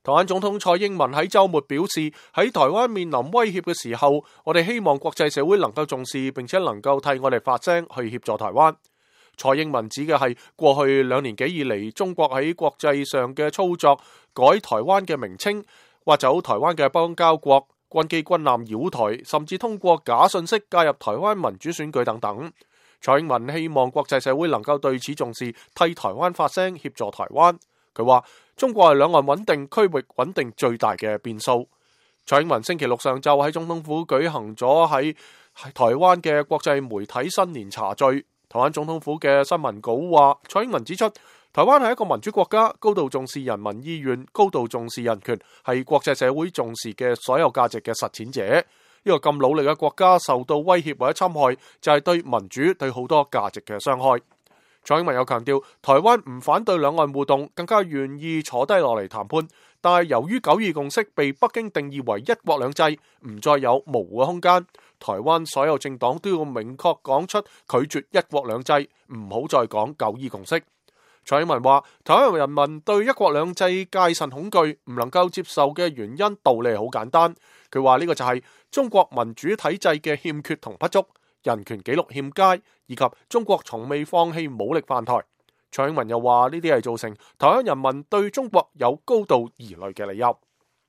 台灣總統蔡英文喺週末表示，喺台灣面臨威脅嘅時候，我哋希望國際社會能夠重視，並且能夠替我哋發聲去協助台灣。蔡英文指嘅係過去2年幾以嚟，中國喺國際上嘅操作，改台灣嘅名稱，挖走台灣嘅邦交國，軍機軍艦繞台，甚至通過假信息介入台灣民主選舉等等。蔡英文希望國際社會能夠對此重視，替台灣發聲，協助台灣。佢話中國係兩岸穩定、區域穩定最大嘅變數。蔡英文星期六上晝喺總統府舉行咗喺台灣嘅國際媒體新年茶敘。台灣總統府嘅新聞稿話，蔡英文指出，台灣係一個民主國家，高度重視人民意願，高度重視人權，係國際社會重視嘅所有價值嘅實踐者。呢個咁努力嘅國家受到威脅或者侵害，就係對民主、對好多價值嘅傷害。蔡英文又強調，台灣唔反對兩岸互動，更加願意坐低落嚟談判。但係由於九二共識被北京定義為一國兩制，唔再有模糊嘅空間。台灣所有政黨都要明確講出拒絕一國兩制，唔好再講九二共識。蔡英文話，台灣人民對一國兩制戒慎恐懼，唔能夠接受嘅原因道理好簡單。佢話呢個就係中國民主體制嘅欠缺同不足，人權紀錄欠佳，以及中國從未放棄武力犯台。蔡英文又話呢啲係造成台灣人民對中國有高度疑慮嘅理由。